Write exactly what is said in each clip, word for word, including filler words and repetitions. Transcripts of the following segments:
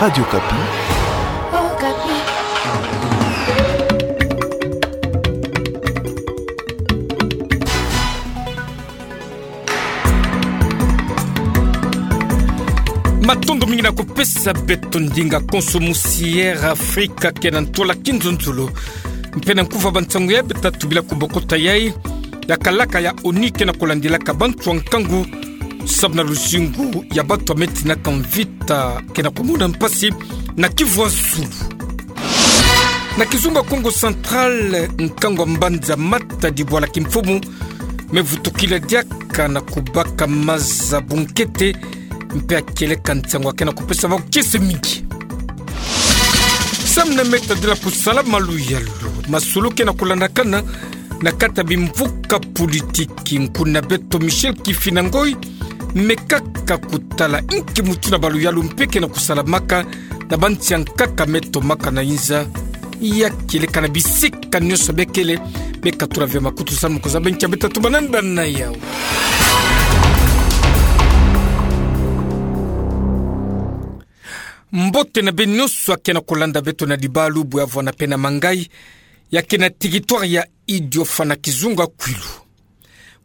Radio Okapi. Matondo mingi na kupesa beto ndinga konso musi Air Afrika ke na ntwala kinzonzolo. Mpe na nkuva ba nsangu ya beto tatu bila kubokota yai, ya kalaka ya ONU ke na kulandilaka bantu ya nkangu, samu na luzingu ya bantu ya me tinaka mvita ke na kumona mpasi na Kivu ya Zulu. Na kizunga Kongo Central, nkangu ya mbanza Matadi bwala kimfumu me vutukila diaka na kubaka maza bunkete, mpe ya kieleka nsangu ya ke na kupesa bau kiese mingi. Samu na me tadila kusala maluyalu, masolo ke na kulandakana na kati ya bimvuka politiki. Nkuna beto Michel Kifina Ngoy me kaka kutala inki mutindu ya baluyalu mpe ke na kusalamaka na bansi ya nkaka me tomaka na inza. Ya kieleka na bisika nyonso bie kele, me katula ve makutu samu kuzaba nkia beto tatu bananda na yau. Mbote na beno nyonso ya ke na kulanda beto na libalu, bwe ya vwanda mpe na mangai, ya ke na territoire ya Idiofa na kizunga Kwilu.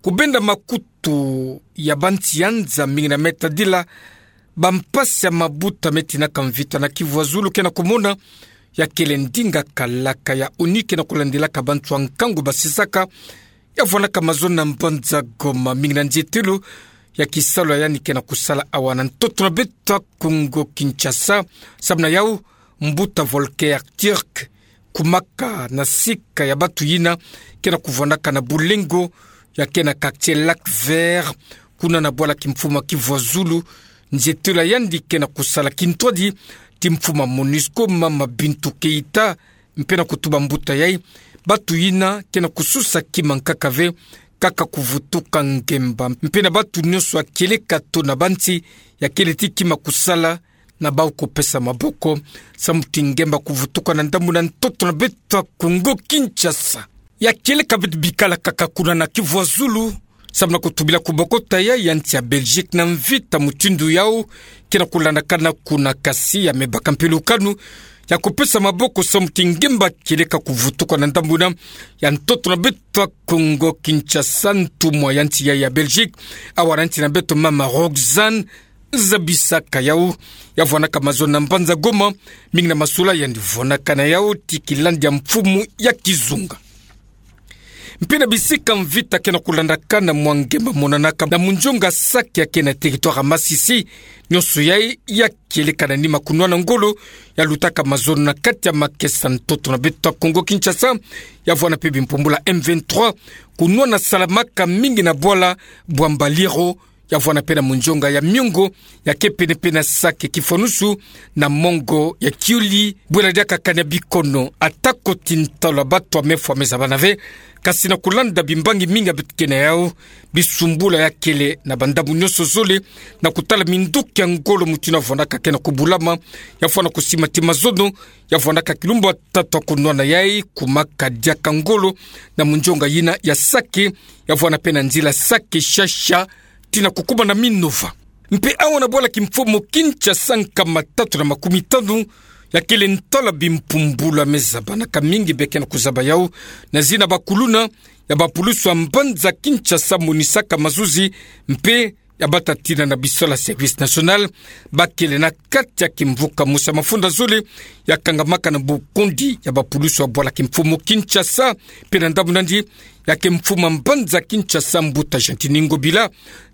Kubenda makutu ya bansi ya nza mingi na me tadila bampasi ya mabuta me tinaka mvita na Kivu ya Zulu ke na kumona, ya kele ndinga kalaka ya ONU ke na kulandilaka bantu ya nkangu basisaka, ya vwandaka mazono na mbanza Goma mingi na nzietelo ya kisalu ya yandi ke na kusala awa na ntoto na beto ya Kongo Kinshasa. Samu na yau, mbuta Volker Türk, kumaka na sika ya bantu yina ke na kuvwandaka na bulengo ya ke na quartier Lac Vert, kuna na bwala kimfumu ya Kivu ya Zulu, nzietelo ya yandi ke na kusala kintwadi ti mfumu ya MONUSCO, mama Bintou Keita, mpe na kutuba mbuta yai, bantu yina ke na kususa kima nkaka ve, kaka kuvutuka ngemba. Mpe na bantu nyonso ya kieleka to na bansi ya kele ti kima kusala, na bau kupesa maboko, samu ti ngemba kuvutuka na ndambu na ntoto na beto ya Kongo Kinshasa. Ya kieleka beto bikala kaka kuna na Kivu ya Zulu, samu na kutubila kubokota yai ya nsi ya Belgique na mvita mutindu yau ke na kulandakana kuna, kasi ya me baka mpe lukanu ya kupesa maboko samu ti ngemba kieleka kuvutuka na ndambu na ya ntoto na beto ya Kongo Kinshasa. Ntumwa ya nsi yai ya Belgique, awa na nsi na beto, mama Roxane, zabisaka yau, ya vwandaka mazono na mbanza Goma, mingi na masula yandi vwandaka na yau ti kilandi ya mfumu ya kizunga. Mpe na bisika mvita ke na kulandakana, mwa ngemba monanaka na munzonga Sake ya ke na territoire ya Masisi. Nyonso yai ya kieleka na nima kunwana ngolo ya lutaka mazono na kati ya makesa ntoto na beto ya Kongo Kinshasa, ya vwanda mpe bimpumbulu ya M vingt-trois, kunwana salamaka mingi na bwala bwa Mbaliro, ya vwanda mpe na munzonga ya miongo ya ke pene-pene na Sake, kifwanusu na mongo ya Kiuli, bwela diaka kani ya bikono. Atako ti ntalu ya bantu ya me fwa me zabana ve, kasi na kulanda bimbangi mingi ya beto ke na yau, bisumbula ya kele na bandambu nyonso zole, na kutala minduki ya ngolo mutindu ya vwandaka ke na kubulama, ya vwanda kusima ti mazono, ya vwandaka kilumbu ya tatu ya kunwana yai, kumaka diaka ngolo na munzonga yina ya Sake, ya vwanda mpe na nzila Sake-Shasha, tii na kukuma na Minova. Mpe awa na bwala kimfumu Kinshasa, nkama tatu na makumi tanu ya kele ntalu ya bimpumbulu ya me zabanaka mingi, bie ke na kuzaba yau na zina bakuluna ya bapulusu ya mbanza Kinshasa monisaka mazuzi, mpe ya batatina na bisola service national, ba kele na kati ya kimvuka mosi ya mafunda zole ya kangamaka na bokondi ya bapulusu ya bwala kimfumu Kinshasa. Mpe na ndambu na yandi, ya ke mfumu ya mbanza Kinshasa, mbuta Gentiny Ngobila,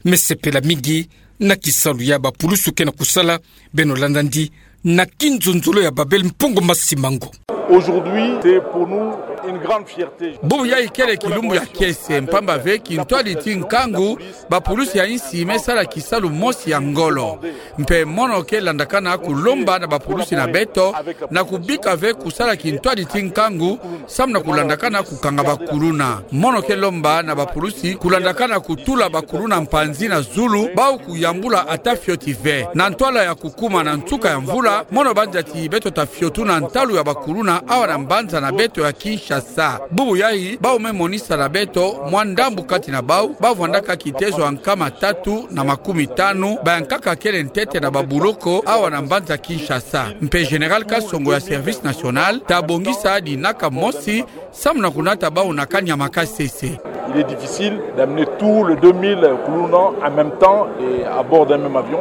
me sepela mingi na kisalu ya bapulusu ke na kusala. Beno landa yandi na kinzonzolo ya Babel Mpongo Masimango. Aujourd'hui, c'est pour nous une grande fierté. Bubu yai kele kilumbu ya kiese, mpamba ve kintwadi ti nkangu, bapulusu ya insi me sala kisalu mosi ya ngolo. Mpe mono ke landakana kulomba na bapulusu na beto na kubika ve kusala kintwadi ti nkangu, samu na kulandakana kukanga bakuluna. Mono ke lomba na bapulusu kulandakana kutula bakuluna mpanzi na zulu, bau kuyambula ata fioti ve. Na ntwala ya kukuma na nsuka ya mvula, mono banza ti beto tafiotuna ntalu ya bakuluna awa na mbanza na beto ya Kinshasa. Bubu yayi, bau me monisa na beto mwa ndambu kati na bau, bavwandaka kitezo ya nkama tatu na makumi tanu, bayankaka kele ntete na babuloko awa na mbanza Kinshasa. Mpe Général Kasongo ya Service National, ta bongisa dinaka mosi, samu na kunata bau na kanyama kasese. Il est difficile d'amener tous les deux mille kuluna en même temps et à bord d'un même avion.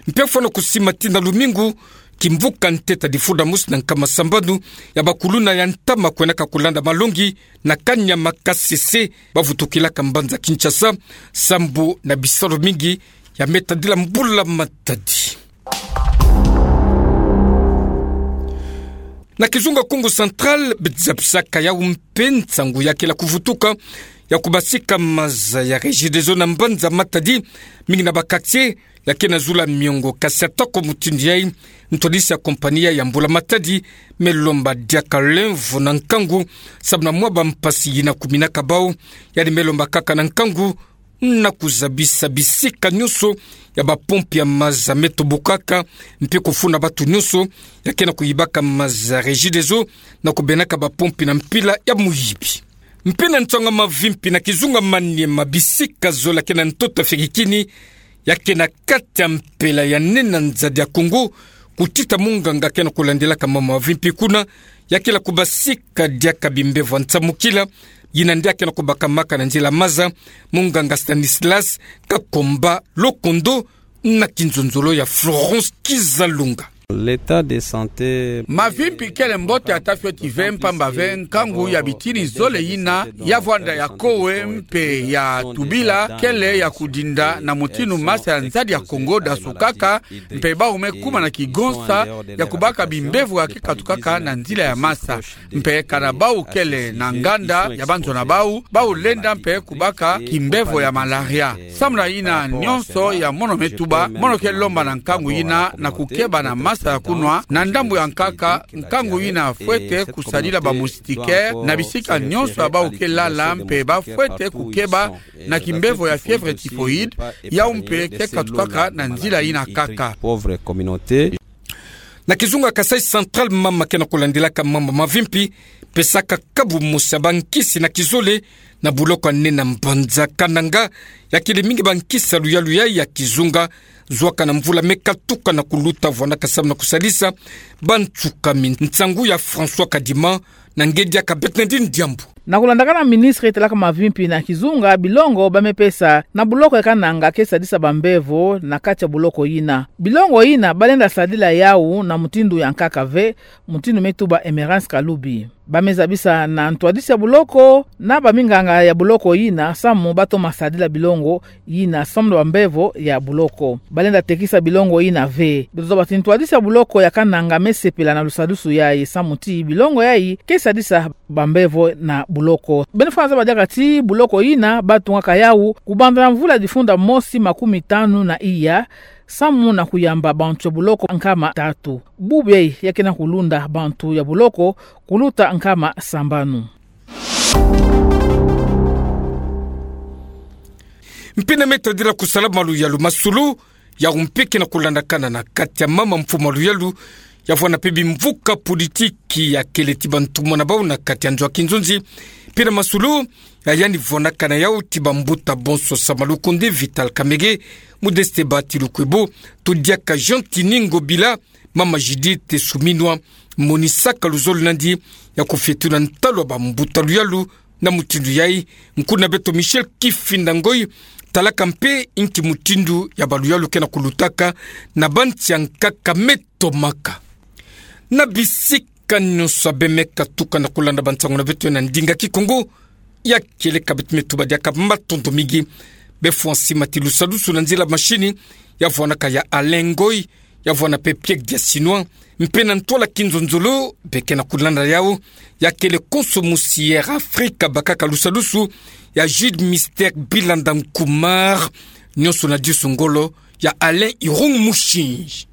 Mpe fwana kusima tina lumingu, kimvuka ntete difunda mosi na nkama sambanu ya bakuluna ya ntama kwenaka kulanda malongi na kanyama kasese, bavutukilaka mbanza Kinshasa, sambu na bisalu mingi ya me tadila mbula matadi. Na kizunga Kongo Central, bidzapisaka yau mpe nsangu ya kela kuvutuka ya kubasika maza ya Regideso na mbanza Matadi, mingi na ba quartier ya ke na zula miongo. Kasi atako mutindu yayi, ntwadisi ya compagnie ya mbula-matadi me lomba diaka lemvo na nkangu, samu na mwa bampasi yina kuminaka bau, yandi me lomba kaka na nkangu na kuzabisa bisika nyonso ya bapompi ya maza me tobokaka, mpe kufuna batu nyonso ya ke na kuyibaka maza ya Regideso na kubenaka bapompi na mpila ya muyibi. Mpe na nsangu ya mavimpi, na kizunga Maniema, bisika zola ke na ntoto ya Fekikini, ya ke na kati ya mpela ya nene ya nzadi ya Kongo, kutita munganga ke na kulandilaka mambu ya mavimpi kuna, ya kela kubasika diaka bimbevo ya nsamukila, yina nde ya ke na kubakamaka na nzila maza, munganga Stanislas Kakomba Lokondo, na kinzonzolo ya Florence Kizalunga. L'état de santé. Mavimpi kele mbote ata fioti ve, mpamba ve nkangu ya bitini zole yina ya vwanda ya kowe mpe ya tubila kele ya kudinda na mutindu masa ya nzadi ya Kongo dasukaka, mpe bau me kuma na kigonsa ya kubaka bimbevo ya ke katukaka na nzila ya masa. Mpe kana bau kele na nganda ya banzo na bau, bau lenda mpe kubaka kimbevo ya malaria. Samu na yina nyonso ya mono me tuba, mono ke lomba na nkangu yina na kukeba na masa ya kunwa, na ndambu ya nkaka, nkangu yina fwete kusadila ba moustiquaire na bisika nyonso ya bau ke lala, mpe bafwete kukeba na kimbevo ya fièvre typhoïde, yau mpe ke katukaka na nzila yina kaka. Pauvre communauté. Na kizunga Kasaï Central, mama ke na kulandilaka mambu ya mavimpi pesaka kabu mosi ya bankisi na kizole na buloko ya nene ya mbanza Kananga, ya kele mingi bankisi ya luyalu yayi ya kizunga, zwaka na mvula me katuka na kuluta, vwandaka samu na kusalisa bantsukami. Nsangu ya François Kadima, na ngedi ya Kabet Nadine Diambu. Na kulandaka na ministre talaka mavimpi na kizunga, bilongo ba me pesa na buloko ya Kananga ke sadisa bambevo na kati ya buloko yina. Bilongo yina ba lenda sadila yau na mutindu ya nkaka ve, mutindu me tuba Emerance Kalubi. Ba me zabisa na ntwadisi ya buloko na baminganga ya buloko yina samu ba toma sadila bilongo yina samu na bambevo ya buloko. Ba lenda tekisa bilongo yina ve. Beto zaba ti ntwadisi ya buloko ya Kananga me sepela na lusadusu yayi samu ti bilongo yayi ke sadisa bambevo na buloko. Beno fwa zaba diaka ti buloko yina ba tungaka yau kubanza na mvula difunda mosi makumi tanu na iya, samu na kuyamba bantu ya buloko nkama tatu. Bubu yayi ya ke na kulunda bantu ya buloko kuluta nkama sambanu. Mpe na me tadila kusala maluyalu, masolo yau mpe ke na kulandakana na kati ya mama mfumu maluyalu, ya vwanda mpe bimvuka politiki ya kele ti bantumwa na bau na kati ya nzo ya kinzonzi. Mpe na masolo ya yandi vwandakana yau ti bambuta bonso, Sama Lukonde, Vital Kamerhe, Modeste Bahati Lukwebo, to diaka Jean Tini Ngobila, mama Judith Suminwa, monisaka luzolo nandi ya kufietula ntalu ya bambuta luyalu. Na mutindu yayi, nkuna beto Michel Kifinda Ngoi talaka mpe inki mutindu ya baluyalu ke na kulutaka na bansi ya nkaka me tomaka. Na bisika nyonso ya bê me katuka na kulanda bansangu na beto na ndinga Kikongo, ya kieleka beto me tuba diaka matondo mingi. Bê fwansi mati lusadusu na nzila machine, ya vwanaka ya Alain Ngoi, ya vwana mpe Pierre Diasinois, mpe na ntwala kinzonzolo bê ke na kulanda yau, ya kele konso musi Air Africa bakaka lusadusu, ya Jude Mister Bilanda Nkumar, nyonso na disu ngolo ya Alain Irung Mushinji.